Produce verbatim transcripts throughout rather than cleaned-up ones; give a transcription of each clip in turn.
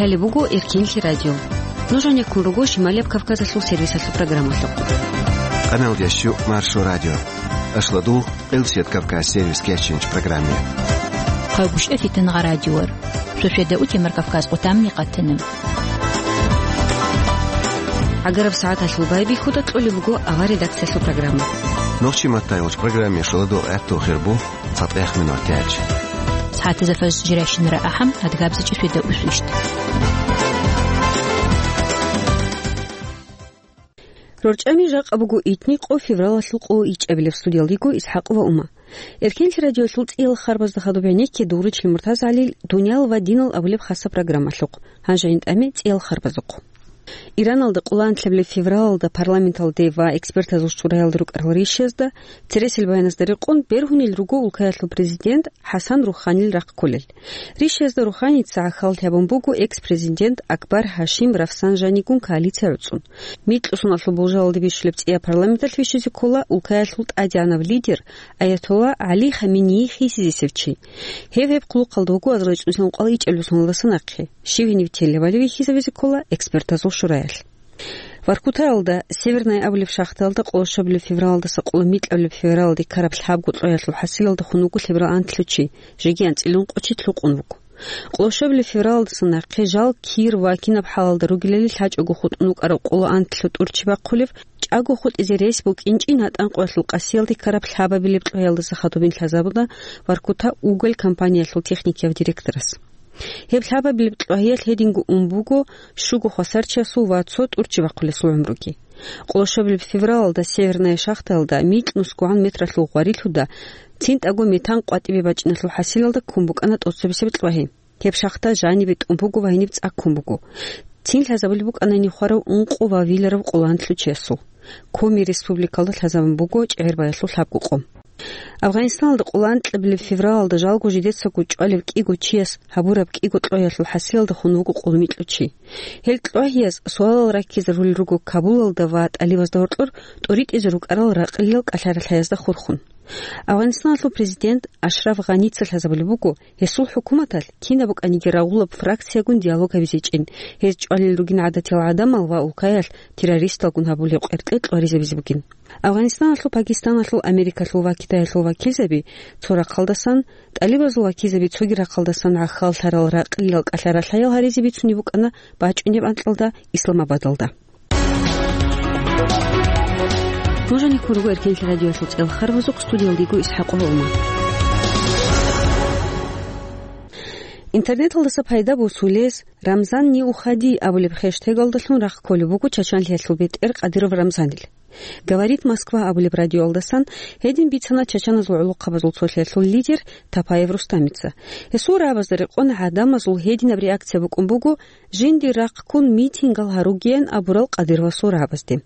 Гьале буго Эркенлъи радио. Нуж гьанеккун руго Шималияб Кавказалъул сервисалъул программалъухъ. Къаналдиясчу Маршо радио. Ашладул Элсет Кавказ сервис кечинч программе. Хъайбушев Фитнагъа радиор. Шошеда утемар Кавказ къутамни къатана. Агараб сагӀаталъул байбихьуда кьолеб буго авар редакциялъул программа. Нохчи маттайолч программе шоладул гӀатту хирбу. ЦатӀех минут тяч. СагӀатазда фажр жирашинара ахӀам, адгабзачӀи шведа усвищт. РорчӀами жакъа буго итни къо февралалъул къо ичӀабилеб, студиялдиго ИсхӀакъ ва Ума. Эркенлъи радиолъул цӀиял харбазда хадуб гӀенекке дугъричил МуртазагӀалил «Дуниял ва динал» абулеб хасаб программалъухъ. Гьанже гьанитӀаме цӀиял харбазухъ. Ираналда къоло анлъабилеб февралалда парламенталде ва экспертазул шураялда рукӀарал ришазда, цересел баяназда рекъон, бергьунел руго улкаялъул президент ХӀасан Руханил рахъ кколел. Ришазда Руханица гӀахьаллъи гьабун буго экс-президент Акбар Гьашим Рафсанжанигун коалиция гӀуцӀун. Микьусуналъул болжалалде бищулеб цӀия парламенталъ вищизе ккола улкаялъул тӀадегӀанав лидер Аятолла ГӀали Хамении хисизесев чи. Гьев гьеб хъулухъалда вуго азарилчӀунсилан кӀвал ичӀабилеб соналдаса нахъе. Щив гьенив телевали вихьизавизе ккола экспертазул шураялъ. Воркутаялда Северная абулеб шахтаялда къолошабилеб февралалдаса къоло микьабилеб февралалде ккараб лъабго кьваялъул хӀасилалда хун вуго лъеберал анлъго чи, жеги анцӀила ункъо чи лъукъун вуго. Къолошабилеб февралалдаса нахъе жал кир ва кинаб хӀалалда ругелали лъачӀого хутӀун вукӀараб къоло анлъго тӀур чи бахъулев, чӀаго хутӀизе рес букӀинчӀин гьатӀан къоялъул къасиялде ккараб лъабабилеб кьваялдаса хадубин лъазабуна Воркута уголь компаниялъул техникияв директорас. Гьеб лъабабилеб кьвагьиялъ гьединго ун буго щуго хвасарчиясул ва цо тӀурччи бахъулесул гӀумруги. Къолошабилеб февралалда Северная шахтаялда микьнусгогӀан метралъул гъварилъуда цинтӀаго метан къватӀибе бачӀиналъул хӀасилалда ккун букӀана тӀоцебесеб кьвагьи. Гьеб шахта жанибе тӀун буго ва гьениб цӀаккун буго. Цин лъазабулеб букӀана нихъварав ункъо ва виларав къоло анлъго чиясул. Коми республикалда лъазабун буго чӀегӀербаялъул лъабго къо. Афганистаналда къоло анлъабилеб февралалда жалго жидецаго чӀвалев кӀиго чияс гьабураб кӀиго кьвагьиялъул хӀасилалда хун вуго къоло микьго чи. Гьел кьвагьияз суалал раккизарулел руго Кабулалда ва тӀалибазда гьоркьор тӀоритӀизе рукӀарал ракълиял кӀалъа-ралъаязда хурхун. Афганистаналъул президент Ашраф Гъаница лъазабулеб буго гьесул хӀукуматалъ кинаб букӀаниги рагъулаб фракциягун диалог гьабизе чӀин, гьез чӀвалел ругин гӀадатиял гӀадамал ва улкаялъ террористалгун гьабулеб къеркье кьваризабизе бугин. Афганистаналъул, Пакистаналъул, Америкалъул ва Китаялъул вакилзаби цо рахъалдасан, тӀалибазул вакилзаби цоги рахъалдасан гӀахьаллъарал ракълиял кӀалъа-ралъаял гьаризе бицунеб букӀана бачӀунеб анкьалда Исламабадалда. Нуж гьанеккун руго Эркенлъи радиоялъул цӀел харбазухъ, студиялдиго ИсхӀакъ ва Ума. Интернеталдаса пайда босулез «Рамзан не уходи» абулеб хештегалдалъун рахъ кколеб буго чачанлъиялъул бетӀер Кадыров Рамзанил. «Говорит Москва» абулеб радиоялдасан гьедин бицана чачаназул гӀолохъабазул цолъиялъул лидер Тапаев Рустамица. Гьесул рагӀабазда рекъон гӀадамазул гьединаб реакция букӀун буго, жиндир рахъ ккун митингал гьаругеян абурал Кадыровасул рагӀабазде.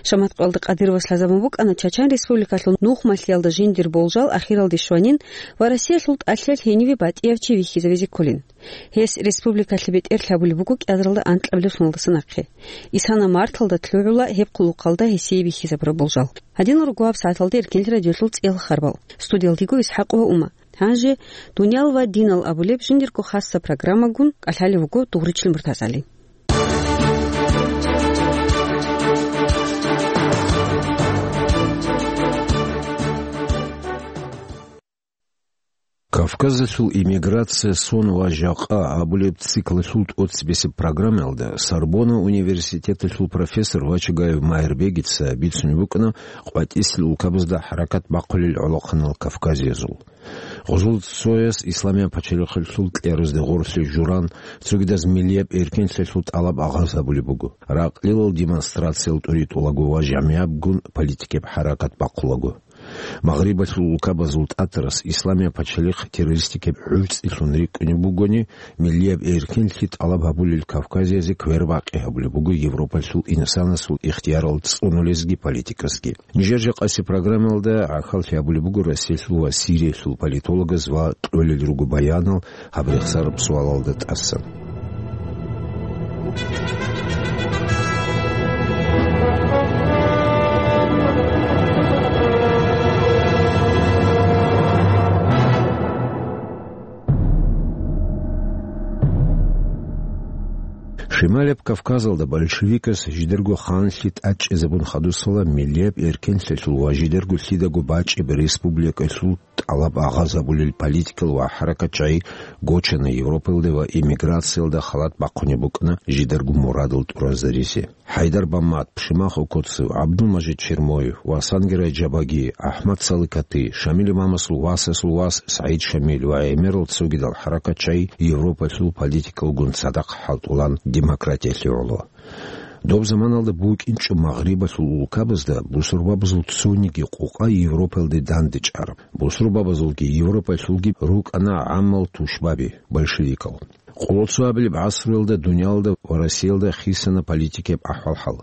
Шаматкъалда Кадыровас лъазабун букӀана Чачан Республикалъул нухмалъиялда жиндир болжал ахиралде щванин ва Россиялъул тӀалъиялъ гьениве батӀияв чи вихьизавизе кколин. Гьес республикалъе бетӀер лъабулеб буго кӀиазаралда анкьабилеб соналдаса нахъе. Исана марталда лъугӀула гьеб хъулухъалда гьесие бихьизабураб болжал. Гьадинал руго гьаб сагӀаталда Эркенлъи радиолъул цӀел харбал. Студиялдиго ИсхӀакъ ва Ума. Гьанже «Дуниял ва динал» абулеб жиндирго хасаб программагун кӀалъалев вуго Дугъричил МуртазагӀали. «Кавказалъул иммиграция, сон ва жакъа» абулеб циклалъул тӀоцебесеб программаялда Сорбонна университеталъул профессор Вачагаев Майрбегица бицунеб букӀана къватӀисел улкабазда хӀаракат бахъулел гӀолохъанал кавказиязул. Гъузул цояс Исламияб пачалихъалъул кьеразде гъорлъе журан, цогидаз миллияб эркенлъиялъул тӀалаб агъаз гьабулеб буго. Ракълилал демонстрациял тӀуритӀулаго ва жамигӀабгун политикияб хӀаракат бахъулаго. Магърибалъул улкабазул тӀатарас Исламияб пачалихъ террористикияб гӀурцӀилъун рикӀкӀунеб бугони, миллияб эркенлъи тӀалаб гьабулел кавказиязе квербакъи гьабулеб буго Европалъул инсанасул ихтиярал цӀунулезги политикасги. Нижер жакъасеб программаялда гӀахьаллъи гьабулеб буго Россиялъул ва Сириялъул политологаз ва кьолел руго баянал гьаб рехсараб суалалда тӀасан. Шималияб Кавказалда большевикас жидерго ханлъи тӀадчӀезабун хадусала миллияб эркенлъиялъул ва жидерго лъидаго бачӀеб республикалъул тӀалаб агъазабулел политикал ва хӀаракатчагӀи гочана Европаялде ва эмиграциялда халат бахъунеб букӀана жидерго мурадал тӀуразаризе. ХӀайдар Баммат, Пшимахов Коцев, ГӀабдулмажид Чермоев, Васангирай Жабаги, АхӀмад Саликати, Шамил имамасул васасул вас СагӀид Шамил ва гӀемерал цогидал хӀаракатчагӀи Европалъул политикалгун цадахъ хӀалтӀулан демократиялъе гӀоло. Доб заманалда букӀинчӀо Магърибалъул улкабазда бусурбабазул цониги къукъа Европалде дандечӀараб, бусурбабазулги Европалъулги рукӀана гӀаммал тушбаби, большевикал. Къоло цо абилеб гӀасруялда дуниялалда ва Россиялда хисана политикияб ахӀвал-хӀал.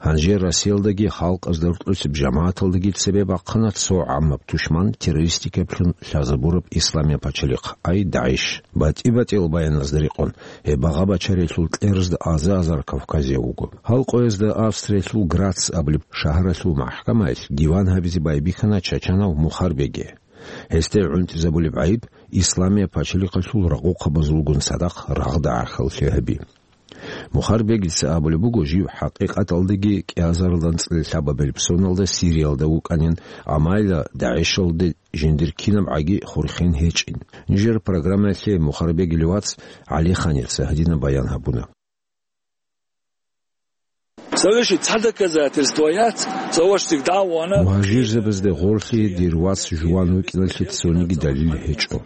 Гьанже Россиялдаги халкъазда рокьулъеб жамагӀаталдаги цебе бахъана цо гӀаммаб тушман террористикаблъун лъазабураб исламияб пачалихъ, ай ДагӀиш. БатӀи-батӀиял баяназда рекъон, гьеб багъа-бачаралъул кьерзда аза-азар кавказияв вуго. Гьал къоязда Австриялъул Грац абулеб шагьаралъул махӀкамаялъ диван гьабизе байбихьана чачанав Мухарбеги. Гьесде гӀунтӀизабулеб гӀайиб исламияб пачалихъалъул рагъухъабазулгун цадахъ рагъда гӀахьаллъи гьаби. Мухарбегица абулеб буго, жив хӀакъикъаталдаги кӀиазарилан цӀиле лъабабилеб соналда Сириялда вукӀанин, амма гьелда ДагӀишалде жиндир кинабгӀаги хурхин гьечӀин. Нижер программаялъе Мухарбегил вац ГӀалиханица гьадинаб баян гьабуна. Цавеши цхӀа доказательствояц, цавашдик дагӀвана. Мугьажирзабазде гъорлъи дир вац жуван вукӀиналъе цониги далил гьечӀо.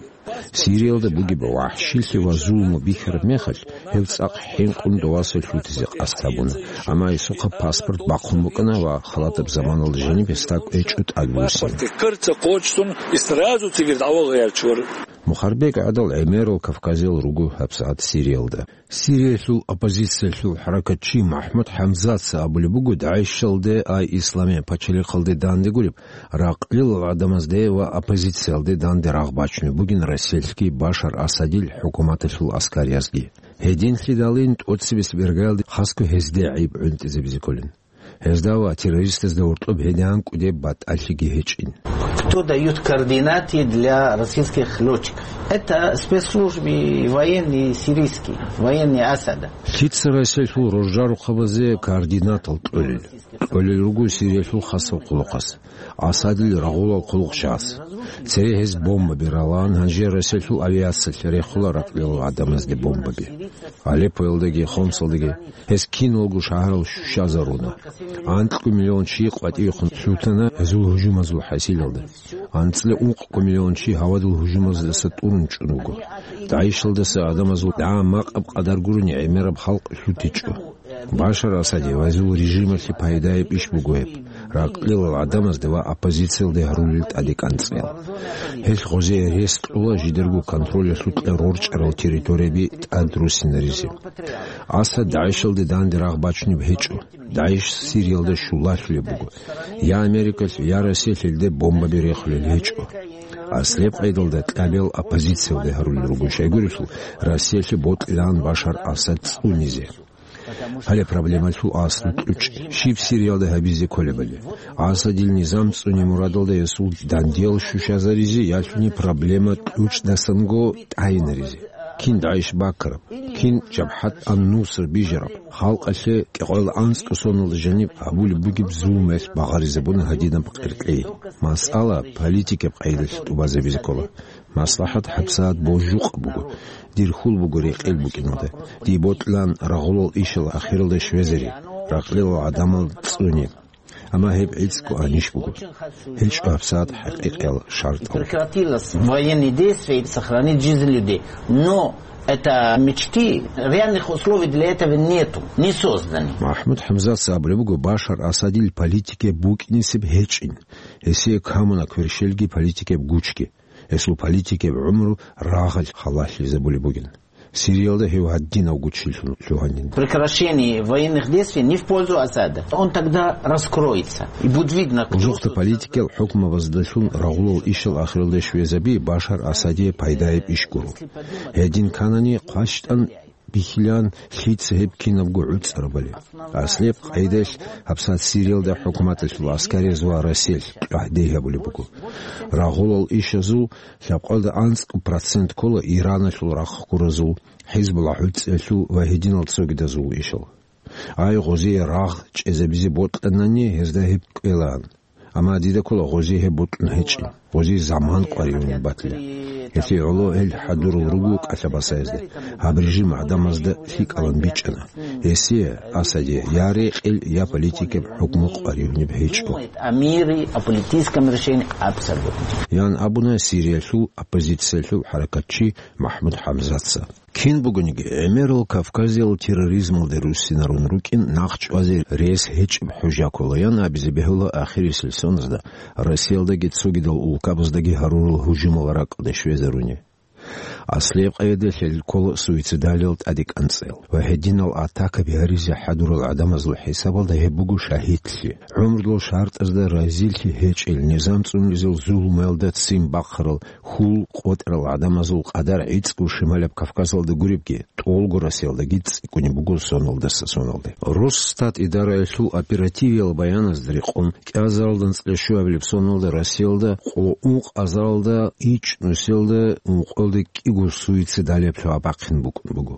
Сириялда бугеб вахӀшилъи ва зулму бихьараб мехалъ, гьев цӀакъ хӀинкъун доваса лъутизе къасд гьабуна, амма гьесухъа паспорт бахъун букӀана ва халатаб заманалда жаниб гьесда кӀвечӀо тӀадбуссин. Паспорт ккарца къочцун, и сразу цигир дагӀва гъиярчур. Мухарбег гӀадал гӀемерал кавказиял руго гьабсагӀат Сириялда. Сириялъул оппозициялъул хӀаракатчи МахӀмуд ХӀамзатца абулеб буго, ДагӀишалде, ай исламияб пачалихъалде дандегуреб, ракълилал гӀадамазде ва оппозициялде данде рагъ бачунеб бугин Россиялъги Башар Асадил хӀукуматалъул аскариязги. Гьединлъидалин тӀоцебесеб иргаялде хасго гьезде гӀайиб гӀунтӀизабизе кколин. Гьезда ва террористазда гьоркьоб гьедигӀан кӀудеб батӀалъиги гьечӀин. Кто дают координаты для российских лётчиков? Это спецслужбы военные сирийские, военные Асада. Лъица Россиялъул роржарухъабазе координатал кьолел? Кьолел руго Сириялъул хасаб хъулухъас, Асадил рагъулал хъулухъчагӀаз. Цере гьез бомбаби ралан, гьанже Россиялъул авиациялъ рехула ракълилал гӀадамазде бомбаби. Алеппоялдаги Хомсалдаги гьес киналго шагьарал щущазаруна. Анкьго миллион чи къватӀивехун лъутана гьезул гьужумазул хӀасилалда. АнцӀила ункъго миллион чи гьавадул гьужумаздаса тӀурун чӀун вуго. ДагӀишалдаса гӀадамазул дагӀа-макъаб къадар гурони гӀемераб халкъ лъутичӀо. Башар Асаде ва гьезул режималъе пайдаяб иш буго гьеб, ракълилал гӀадамазде ва оппозициялде гьарулел тӀадекӀанцӀиял. Гьелъ гъозие рес кьола жидерго контролялъукьа рорчӀарал территорияби тӀадруссинаризе. Асад ДагӀишалде данде рагъ бачунеб гьечӀо. ДагӀиш Сириялда щулалъулеб буго. Я Америкалъ, я Россиялъ гьелде бомбаби рехулел гьечӀо. Аслеб къайдалда кьабиял оппозициялде гьарулел руго, щайгурелъул Россиялъе бокьилаан Башар Асад цӀунизе. Гьале проблемалъул аслу кьучӀ, щиб Сириялда гьабизе кколебали. Асадил низам цӀуне мурадалда гьесул дандиял щущазаризе ялъуни проблема кьучӀдасанго тӀайинаризе. Кин ДагӀиш бакараб, кин Жабхат ан-Нусра бижараб, халкъалъе кӀикъоялда анцӀго соналда жаниб гьабулеб бугеб зулмуялъ багъаризабуна гьадинаб къеркьей. Масъала политикаб къайдалъ тӀубазабизе ккола. МаслахӀат гьабсагӀат божукъ буго. Дир хьул буго рекъел букӀиналда. Дие бокьилаан рагъулал ишал ахиралда щвезари, ракълилал гӀадамал цӀуни. Амма гьеб гӀицӀго анищ буго. ГьечӀо гьабсагӀат хӀакъикъиял шартӀал. Прекратилось военные действия и сохранить жизнь людей. Но это мечты, реальных условий для этого нету, не созданы. МахӀмуд ХӀамзатца абулеб буго, Башар Асадил политике букӀинисеб гьечӀин. Гьесие камуна кверщелги политикеб гучги. Гьесул политикеб гӀумру рагъалъ халалъизабулеб бугин. Сириялда гьев гьадинав гучилъун лъугьанин. Прекращение военных действий не в пользу Асада. Он тогда раскроется. И будет видно, кто... Узухъда политикиял хӀукмабаздалъун рагъулал ишал ахиралде щвезаби Башар Асадие пайдаяб иш гуро. Гьедин кканани хъващтӀан бихьилан, лъица гьеб кинабго гӀуцӀарабали. Аслияб къайдалъ гьабсагӀат Сириялда хӀукуматалъул аскариз ва Россиялъ тӀагӀди гьабулеб буго. Рагъулал ишазул лъабкъоялда анцӀго процент ккола Ираналъул рахъ гуразул, ХӀизбулла гӀуцӀиялъул ва гьединал цогидазул ишал. Ай, гъозие рагъ чӀезабизе бокьанани, гьезда гьеб кӀвелаан. Амма дида ккола гъозие гьеб бокьун гьечӀин, гъозие заман къваригӀунеб батила. Гьелъие гӀоло гьел хӀадурал руго кӀалъабасаязда, гьаб режим гӀадамазда лъикӀалан бичӀчӀана. Гьесие, Асадие, я рекъел, я политикаб хӀукму къваригӀунеб гьечӀо. О мире, о политическом решении абсолютно. Ян абуна Сириялъул оппозициялъул хӀаракатчи МахӀмуд ХӀамзатца. Кин бугониги, гӀемерал Кавказиял терроризмалде руссинарун рукӀин нахъ чӀвазе рес гьечӀеб хӀужа ккола, ян абизе бегьула ахирисел соназда Россиялдаги цогидал улкабаздаги гьарурал гьужумал ракӀалде щвезаруни. Аслияб къайдалъ гьел ккола суицидалиял тӀаде кӀанцӀел ва гьединал атакаби гьаризе хӀадурал гӀадамазул хӀисабалда гьеб буго шагьидлъи. ГӀумрудул шартӀазда разилъи гьечӀел, низам цӀунулезул зулумаялда ццин бахъарал хьул къотӀарал гӀадамазул къадар гӀицӀго Шималаб Кавказалда гуребги, тӀолго Россиялдаги цӀикӀкӀунеб буго соналдаса соналде. Росстат идараялъул оперативиял баяназда рекъон, кӀиазаралда анцӀила щуабилеб соналда Россиялда къо ункъазаралда ичӀнусиялда ункъоялда кӀиго суицидалияб лъугьа-бахъин букӀун буго.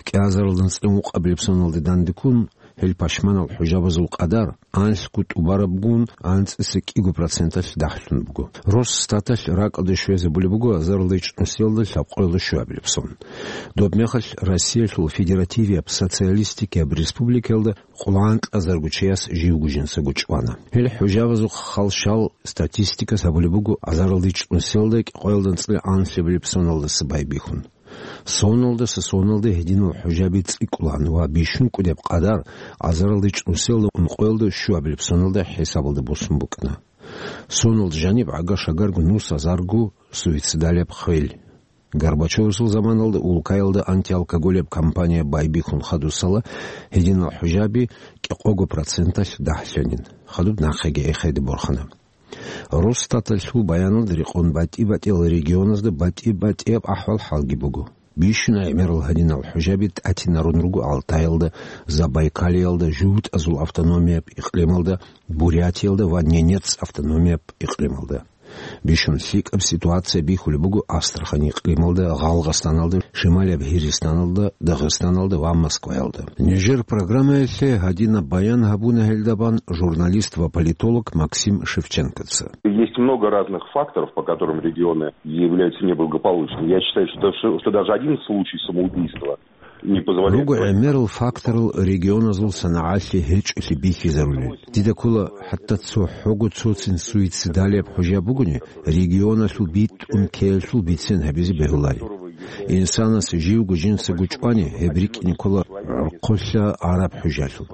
КӀиазаралда анцӀила ункъабилеб соналде дандеккун, гьел пашманал хӀужабазул къадар анлъго тӀубарабгун анцӀила кӀиго проценталъ дагьлъун буго. Росстаталъ ракӀалде щвезабулеб буго азаралда ичӀнусиялда лъабкъоялда щуабилеб сон. Доб мехалъ Россиялъул федеративияб социалистикияб республикаялда къоло анкьазарго чияс живго жинцаго чӀвана. Гьел хӀужабазухъ халщал статистикас гьабулеб буго азаралда ичӀнусиялда кӀикъоялда анцӀила анлъабилеб соналдаса байбихьун. Соналдаса соналде гьединал хӀужаби цӀикӀкӀулаан ва бищун кӀудеб къадар азаралда ичӀнусиялда ункъоялда щуабилеб соналда хӀисабалда босун букӀана. Соналда жаниб гӀага-шагарго нус азарго суицидалияб хвел. Горбачевасул заманалда улкаялда антиалкоголияб кампания байбихьун хадусала гьединал хӀужаби кӀикъого проценталъ дагьлъанин. Хадуб нахъеги эхеде борхана. Росстаталъул баяналда рекъон батӀи-батӀиял регионазда батӀи-батӀияб ахӀвал-хӀалги буго. Бищун гӀемерал гьадинал хӀужаби тӀатинарун руго Алтаялда, Забайкалиялда, ЖугьутӀазул автономияб икълималда, Бурятиялда ва Ненец автономияб икълималда. Бищун лъикӀаб ситуация бихьулеб буго Астрахань икълималда, Гъалгъастаналда, Шималияб Гьиристаналда, Дагъистаналда ва Москваялда. Нижер программаялъе гьадинаб баян гьабуна гьелдабан журналист ва политолог Максим Шевченкоца. Есть много разных факторов, по которым регионы являются неблагополучными. Я считаю, что, что, что даже один случай самоубийства не позволяет... Руго гӀемерал факторал регионазул санагӀалъе гьечӀолъи бихьизарулел. Дида ккола, хӀатта цо хӀого цоцин суицидалияб хӀужа бугони, регионалъул битӀун ккеялъул бицен гьабизе бегьулари. Инсанас живго жинцаго чӀвани, гьеб рикӀкӀине ккола гӀорхъолъа араб хӀужалъул.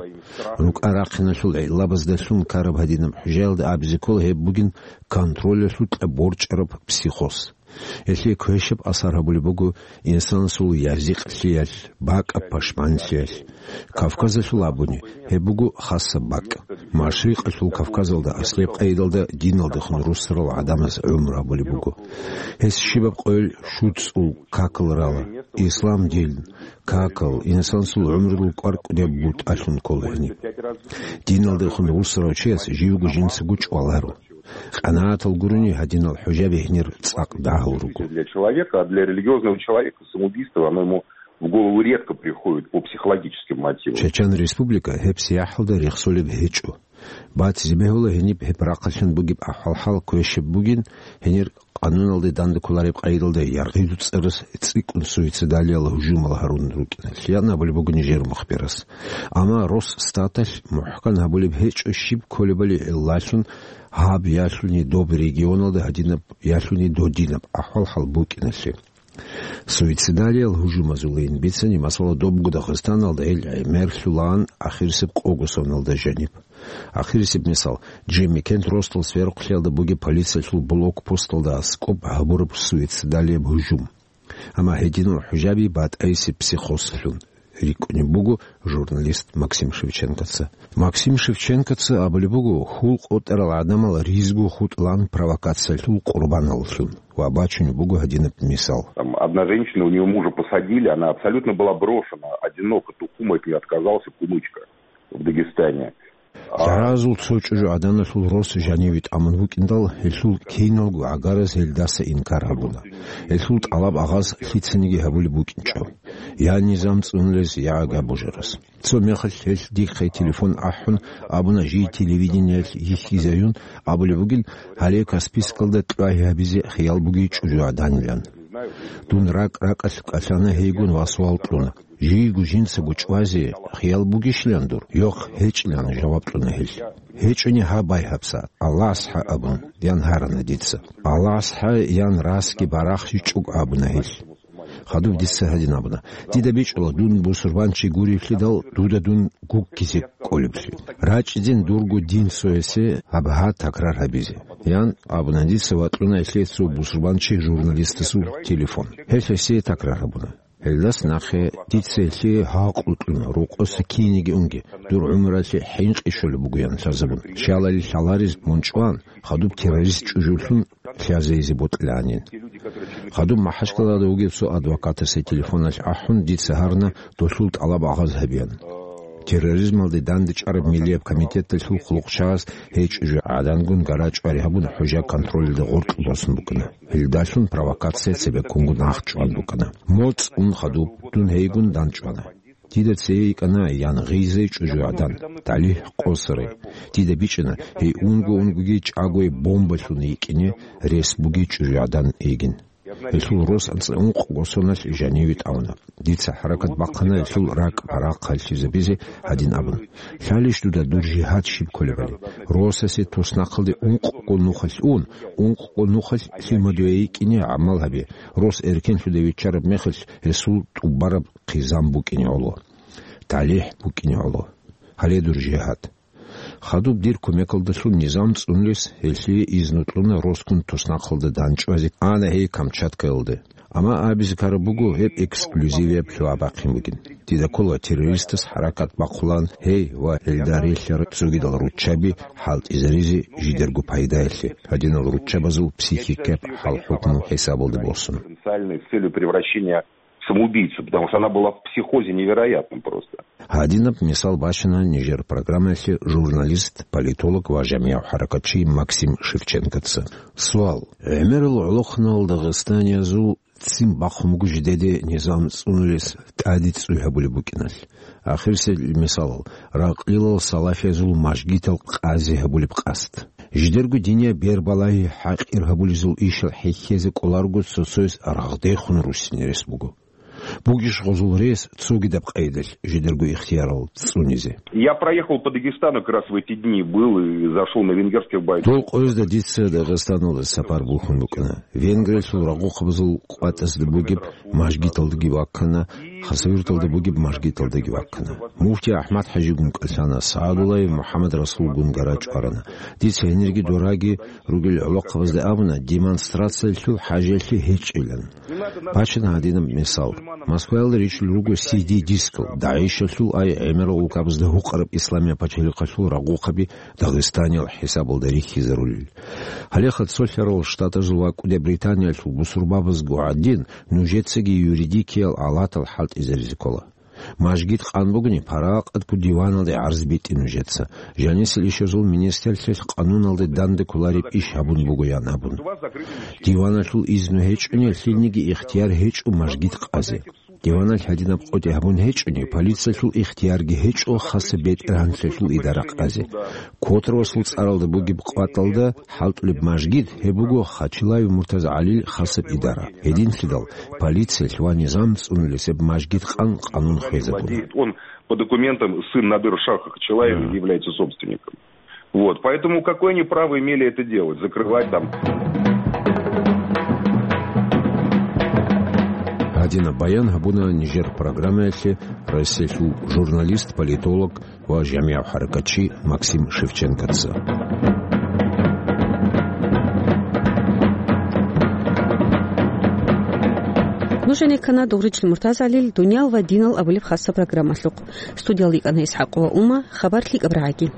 РукӀа-рахъиналъул гӀиллабаздалъун ккараб гьадинаб хӀужаялда абизе ккола гьеб бугин контролялъукьа борчӀараб психоз. Гьелъие квешаб асар гьабулеб буго инсанасул язикълъиялъ, бакӀаб пашманлъиялъ. Кавказалъул абуни, гьеб буго хасаб бакӀ. Машрикъалъул Кавказалда аслеб къайдалда диналдехун руссарал гӀадамаз гӀумру гьабулеб буго. Гьес щибаб къойил щуцӀул какал рала: ислам дин, какал, инсанасул гӀумрудул кӀвар-кӀудияб бутӀалъун ккола гьениб. Диналдехун руссарав чияс живго жинцаго чӀваларо. КъанагӀатал гурони, гьадинал хӀужаби гьенир цӀакъ дагьал руго. Для человека, а для религиозного человека самоубийство, оно ему в голову редко приходит по психологическим мотивам. Чечен Республика гьеб сияхӀалда рехсолеб гьечӀо. Батизе бегьула гьениб гьеб рахъалъан бугеб ахӀвал-хӀал квешаб бугин, гьенир къануналде дандеккулареб къайдалда яргъиду цӀарас цӀикӀкӀун суицидалиял гьужумал гьарун рукӀиналъ, ян абулеб буго нижер мухбирас. Амма Росстаталъ мухӀкан гьабулеб гьечӀо щиб кколебали гӀиллалъун гьаб ялъуни доб регионалда гьадинаб ялъуни додинаб ахӀвал-хӀал букӀиналъе. Суицидалиял гьужумазулин бицани, масала, добго Дагъистаналда ил гӀемерлъулаан ахирисеб къого соналда жаниб. Ахирисеб мисал, Джимми Кент ростал сверухълъиялда бугеб полициялъул блокпосталда аскӀоб гьабураб суицидалияб гьужум. Амма гьединал хӀужаби батӀайсеб психозлъун рикӀкӀунеб буго журналист Максим Шевченкоца. Максим Шевченкоца абулеб буго, хьул къотӀарал гӀадамал ризго хутӀлан провокациялъул къурбаналлъун. ва бачунеб буго гьадинаб мисал. Там одна женщина, у неё мужа посадили, она абсолютно была брошена, одинока, тукум от неё отказался, кумычка в Дагестане. ГӀаразул цо чӀужугӀаданалъул рос жаниве тӀамун букӀиндал, гьелъул киналго гӀагараз гьелдаса инкар гьабуна. Гьелъул тӀалаб агъаз лъицаниги гьабулеб букӀинчӀо. Я низам цӀунулез, я ага божарас. Цо мехалъ гьелъ дихъе телефон ахӀун абуна, жий телевидениялъ йихьизаюн абулеб бугин, гьале Каспийскалда кьвагьи гьабизе хиял бугей чӀужугӀаданилан. Дун ракӀ-ракӀалъ кӀалъана гьейгун ва суал кьуна. Жийго жинцаго чӀвазе хиял бугищилан дур? Йохъ гьечӀилан жаваб кьуна гьелъ. ГьечӀони гьаб, байбихьа, Аллагьас хӀа абун, ян гьарана дица. Аллагьас хӀа, ян расги барахщичӀого абуна гьелъ. Хадуб дица гьадин абуна: «Дида бичӀчӀула дун бусурбанчи гуревлъидал дуда дун гуккизе кӀолеблъи. РачӀидин дурго дин цоясе гьаб гьа такрар гьабизе», — ян абуна дица ва кьуна гьелъие цо бусурбанчи журналистасул телефон. Гьелъ гьесие такрар гьабуна. Гьелдас нахъе дица гьелъие гьакъу кьуна, рокъоса кинеги унги, дур гӀумралъе хӀинкъи щолеб буго, ян лъазабун. Щалали лъаларез мун чӀван, хадуб террорист чӀужулъун лъазейизе бокьилаанин. Хадуб МахӀачкъалада вугев цо адвокатасе телефоналъ ахӀун, дица гьарна долъул тӀалаб агъаз гьабеян. Терроризмалде дандчӀвараб миллияб комитеталъул хъулухъчагъаз гьей чӀужугӀадангун гарачӀвари гьабун, хӀужа контролалда гъоркь босун букӀана. Гьелдалъун провокация цебеккунгун ахчӀван букӀана. МоцӀ ун хадуб, дун гьейгун дандчӀвана. Дида цее йикӀана, ян гъизай чӀужугӀадан, талихӀ къосарай. Дида бичӀчӀана, гьей унго-унгоги чӀагояб бомбалъун йикӀине рес бугей чӀужугӀадан йигин. Гьелъул рос анцӀа ункъго соналъ жаниве тӀамуна. Дица хӀаракат бахъана гьелъул ракӀ-парахъ гьалъизабизе гьадин абун: «Лъалищ дуда дур жигьад щиб кколебали? Росасе туснахъалде ункъго нухалъ ун, ункъго нухалъ лъимадуе йикӀине гӀамал гьабе, рос эркенлъуде виччараб мехалъ гьесул тӀубараб хъизан букӀине гӀоло, талихӀ букӀине гӀоло. Гьале дур жигьад». Хадуб дир кумекалдалъун низам цӀунулес гьелъие изну кьуна росгун туснахъалда дандчӀвазе, ана гьей Камчаткаялде. Амма абизе ккараб буго, гьеб эксклюзивияб лъугьа бахъин бугин. Дида ккола террористас хӀаракат бахъулаан гьей ва гьелда релълъарал цогидал руччаби хӀалтӀизаризе жидерго пайдаялъе, гьадинал руччабазул психикияб хӀал-хӀукму хӀисабалде босун. Потенциальный с целью превращения в самоубийцу, потому что она была в психозе невероятном просто. Гьадинаб мисал бачана нижер программаялъе журналист, политолог ва жамигӀав хӀаракатчи Максим Шевченкоца. Суал: гӀемерал гӀолохъанал дагъистаниязул ццин бахъун буго жидеде низам цӀунулес тӀаде цӀуй гьабулеб букӀиналъ. Ахирисел мисалал, ракълилал салафиязул мажгитал къазе гьабулеб къасд. Жидерго динияб бербалагьи хӀакъир гьабулезул ишал хӀехьезе кӀоларого цо-цояс рагъдехун руссине рес буго. Бугищ гъозул рес цогидаб къайдалъ жидерго ихтиярал цӀунизе? Я проехал по Дагестану как раз в эти дни, был и зашел на венгерских бойцов. Дол къоязда дица Дагъистаналда сапар бухьун букӀана. Венгриялъул рагъухъабазул къватӀазда бугеб мажгиталдаги ваккана, Хасавюрталда бугеб мажгиталдаги ваккана. Муфти АхӀмад-хӀажигун кӀалъана, СагӀадуллаев МухӀаммад-Расулгун гарачӀварана. Дица гьенирги дораги ругел гӀолохъабазда абуна, демонстрациялъул хӀажалъи гьечӀилан. Бачана гьадинаб мисал. Москваялда ричӀчӀулел руго си ди-дискал, ДАИШалъул ай гӀемерал улкабазда гьукъараб Исламияб пачалихъалъул рагъухъаби Дагъистаниял хӀисабалда рихьизарулел. Гьале Цолъарал Штатазул ва КӀуди Британиялъул бусурбабазго гӀадин, нужецаги юридикиял алатал хӀалтӀизаризе ккола. Мажгит къан бугони, паракъатго диваналде гӀарз битӀе нужеца. Жанисел ишазул министрлъиялъ къануналде данде кколареб иш гьабун буго, ян абун. Диваналъул изну гьечӀони, лъилниги ихтияр гьечӀо мажгит къазе. Диваналъ гьадинаб къотӀи гьабун гьечӀони, полициялъул ихтиярги гьечӀо хасаб бетӀергьанлъиялъул идара къазе. Котравасул цӀаралда бугеб къватӀалда хӀалтӀулеб мажгит, гьеб буго Хачилаев МуртазгӀалил хасаб идара. Гьединлъидал полициялъ ва низам цӀунулес гьеб мажгит къан къанун хвезабуна. Он по документам сын Надыр Шаха Хачилаева является собственником. Вот, поэтому какое они право имели это делать, закрывать там? Гьадинаб баян гьабуна нижер программаялъе Россиялъул журналист, политолог ва жамигӀав хӀаракатчи Максим Шевченкоца. Нужеца ккана Дугъричил МуртазгӀалил «Дуниял ва динал» абулеб хасаб программалъухъ. Студиялда йикӀана ИсхӀакъова Ума, хабар лъикӀаб рагӀаги.